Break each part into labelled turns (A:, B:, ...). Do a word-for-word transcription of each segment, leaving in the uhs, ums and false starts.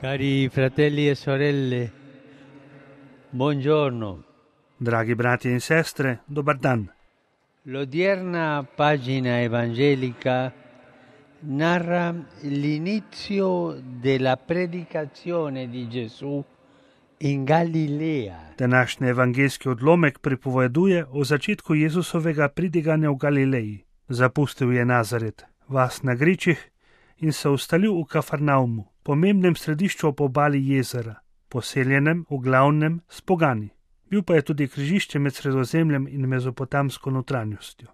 A: Cari fratelli e sorelle, buongiorno.
B: Dragi bratje in sestre, dobar dan.
A: L'odierna pagina evangelica narra l'inizio della predicazione di Gesù in Galilea.
B: Današnji evangeljski odlomek pripoveduje o začetku Jezusovega pridiganja v Galileji. Zapustil je Nazaret, vas na gričih, in se ustalil v Kafarnaumu, pomembnem središču ob obali jezera, poseljenem v glavnem s pogani. Bil pa je tudi križišče med Sredozemljem in mezopotamsko notranjostjo.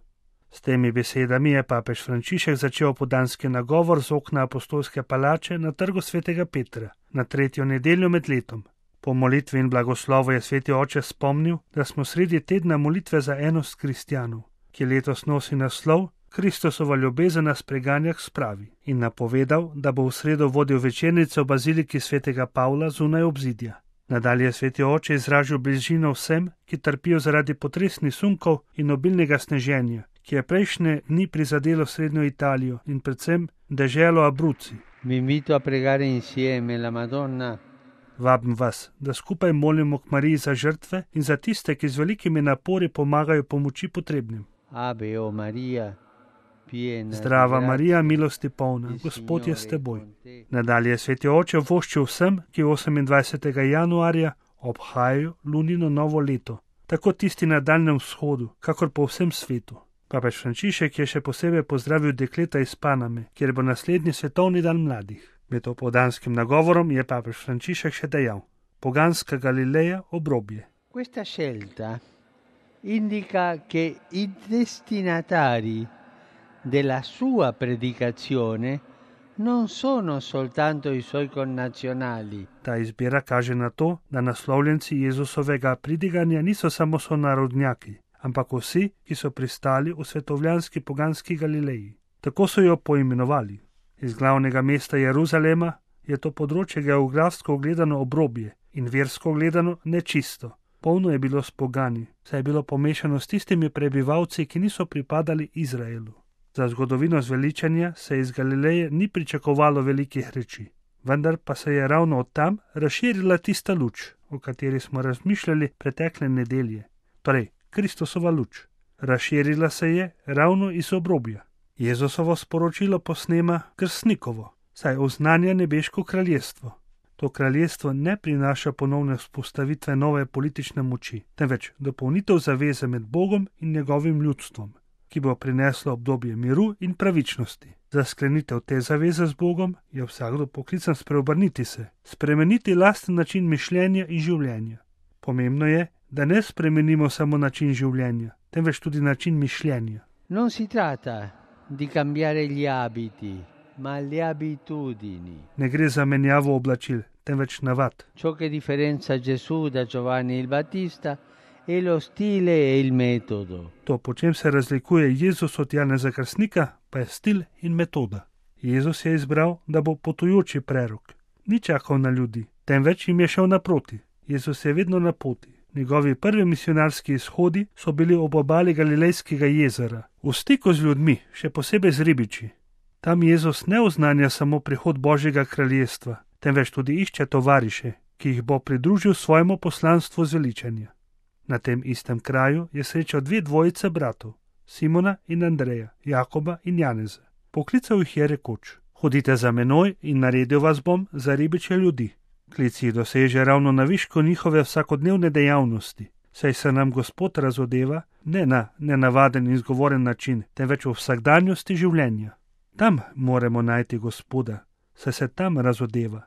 B: S temi besedami je papež Frančišek začel opoldanski nagovor z okna apostolske palače na trgu svetega Petra, na tretjo nedeljo med letom. Po molitvi in blagoslovu je sveti oče spomnil, da smo sredi tedna molitve za enost kristjanov, ki letos nosi naslov Kristusova ljubezen nas preganja k spravi, in napovedal, da bo v sredo vodil večernico v baziliki svetega Pavla zunaj obzidja. Nadalje je sveti oče izražil bližino vsem, ki trpijo zaradi potresnih sunkov in obilnega sneženja, ki je prejšnje dni prizadelo srednjo Italijo in predvsem deželo Abruzzi.
A: Vi invito a pregare insieme la Madonna.
B: Vabim vas, da skupaj molimo k Mariji za žrtve in za tiste, ki z velikimi napori pomagajo pomoči potrebnim.
A: Ave o Maria, piena
B: Zdrava
A: di
B: Marija,
A: grazia,
B: milosti polna,
A: il
B: Gospod je
A: Signore
B: s
A: è
B: teboj.
A: con te.
B: Nadalje je sveti oče voščil vsem, ki osemindvajsetega januarja obhajajo lunino novo leto, tako tisti na Daljnem vzhodu, kakor po vsem svetu. Papež Frančišek je še posebej pozdravil dekleta iz Paname, kjer bo naslednji svetovni dan mladih. Med opoldanskim nagovorom je papež Frančišek še dejal: poganska Galileja obrobje.
A: Questa scelta indica che i destinatari della sua predicazione non sono soltanto i suoi connazionali,
B: Ta izbira kaže na to, da naslovljenci Jezusovega pridiganja niso samo sonarodnjaki, ampak vsi, ki so pristali v svetovljanski poganski Galileji. Tako so jo poimenovali. Iz glavnega mesta Jeruzalema je to področje geografsko gledano obrobje in versko gledano nečisto. Polno je bilo s pogani, saj je bilo pomešano s tistimi prebivalci, ki niso pripadali Izraelu. Za zgodovino zveličanja se iz Galileje ni pričakovalo velikih reči, vendar pa se je ravno od tam razširila tista luč, o kateri smo razmišljali pretekle nedelje, torej Kristusova luč. Razširila se je ravno iz obrobja. Jezusovo sporočilo posnema krstnikovo, saj oznanja nebeško kraljestvo. To kraljestvo ne prinaša ponovne vzpostavitve nove politične moči, temveč dopolnitev zaveze med Bogom in njegovim ljudstvom, ki bo prineslo obdobje miru in pravičnosti. Za sklenitev te zaveze z Bogom je vsakdo poklican spreobrniti se, spremeniti lasten način mišljenja in življenja. Pomembno je, da ne spremenimo samo način življenja, temveč tudi način mišljenja.
A: non si tratta di cambiare gli abiti, ma le abitudini.
B: Ne gre za menjavo oblačil, temveč navad.
A: Ciò che differenzia Gesù da Giovanni il Battista è lo stile e il metodo.
B: To, po čem se razlikuje Jezus od Janeza Krstnika, pa je stil in metoda. Jezus je izbral, da bo potujoči prerok. Ni čakal na ljudi, temveč jim je šel naproti. Jezus je vedno na poti. Njegovi prvi misionarski izhodi so bili ob obali Galilejskega jezera, v stiku z ljudmi, še posebej z ribiči. Tam Jezus ne oznanja samo prihod Božjega kraljestva, temveč tudi išče tovariše, ki jih bo pridružil svojemu poslanstvu zveličanja. Na tem istem kraju je srečal dve dvojice bratov, Simona in Andreja, Jakoba in Janeza. Poklical jih je rekoč: hodite za menoj in naredil vas bom za ribiče ljudi. Klic jih doseže ravno na višku njihove vsakodnevne dejavnosti, saj se nam Gospod razodeva ne na nenavaden in izgovoren način, temveč v vsakdanjosti življenja. Tam moramo najti Gospoda, saj se tam razodeva,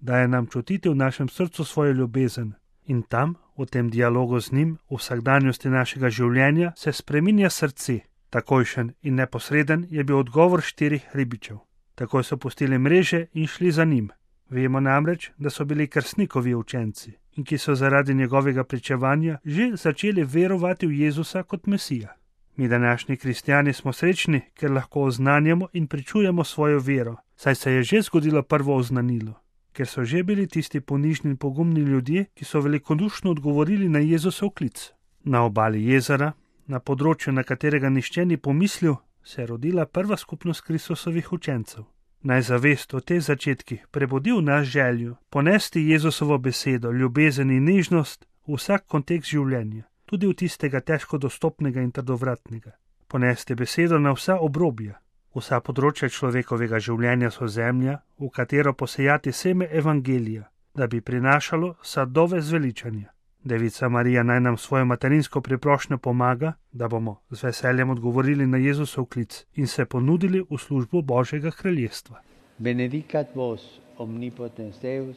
B: daje nam čutiti v našem srcu svojo ljubezen. In tam, v tem dialogu z njim, v vsakdanjosti našega življenja, se spreminja srce. Takojšen in neposreden je bil odgovor štirih ribičev. Takoj so pustili mreže in šli za njim. Vemo namreč, da so bili krstnikovi učenci in ki so zaradi njegovega pričevanja že začeli verovati v Jezusa kot Mesija. Mi današnji kristjani smo srečni, ker lahko oznanjamo in pričujemo svojo vero, saj se je že zgodilo prvo oznanilo. Ker so že bili tisti ponižni in pogumni ljudje, ki so velikodušno odgovorili na Jezusov klic. Na obali jezera, na področju, na katerega nihče ni pomislil, se je rodila prva skupnost Kristusovih učencev. Naj zavest o teh začetkih prebudi v nas željo ponesti Jezusovo besedo, ljubezen in nežnost v vsak kontekst življenja, tudi v tistega težko dostopnega in trdovratnega. Ponesti besedo na vsa obrobja. Vsa področja človekovega življenja so zemlja, v katero posejati seme evangelija, da bi prinašalo sadove zveličanja. Devica Marija naj nam svojo materinsko priprošnjo pomaga, da bomo z veseljem odgovorili na Jezusov klic in se ponudili v službo Božjega kraljestva.
A: Benedicat vos omnipotens Deus,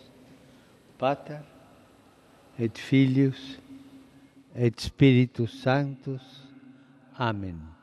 A: Pater et Filius et Spiritus Sanctus. Amen.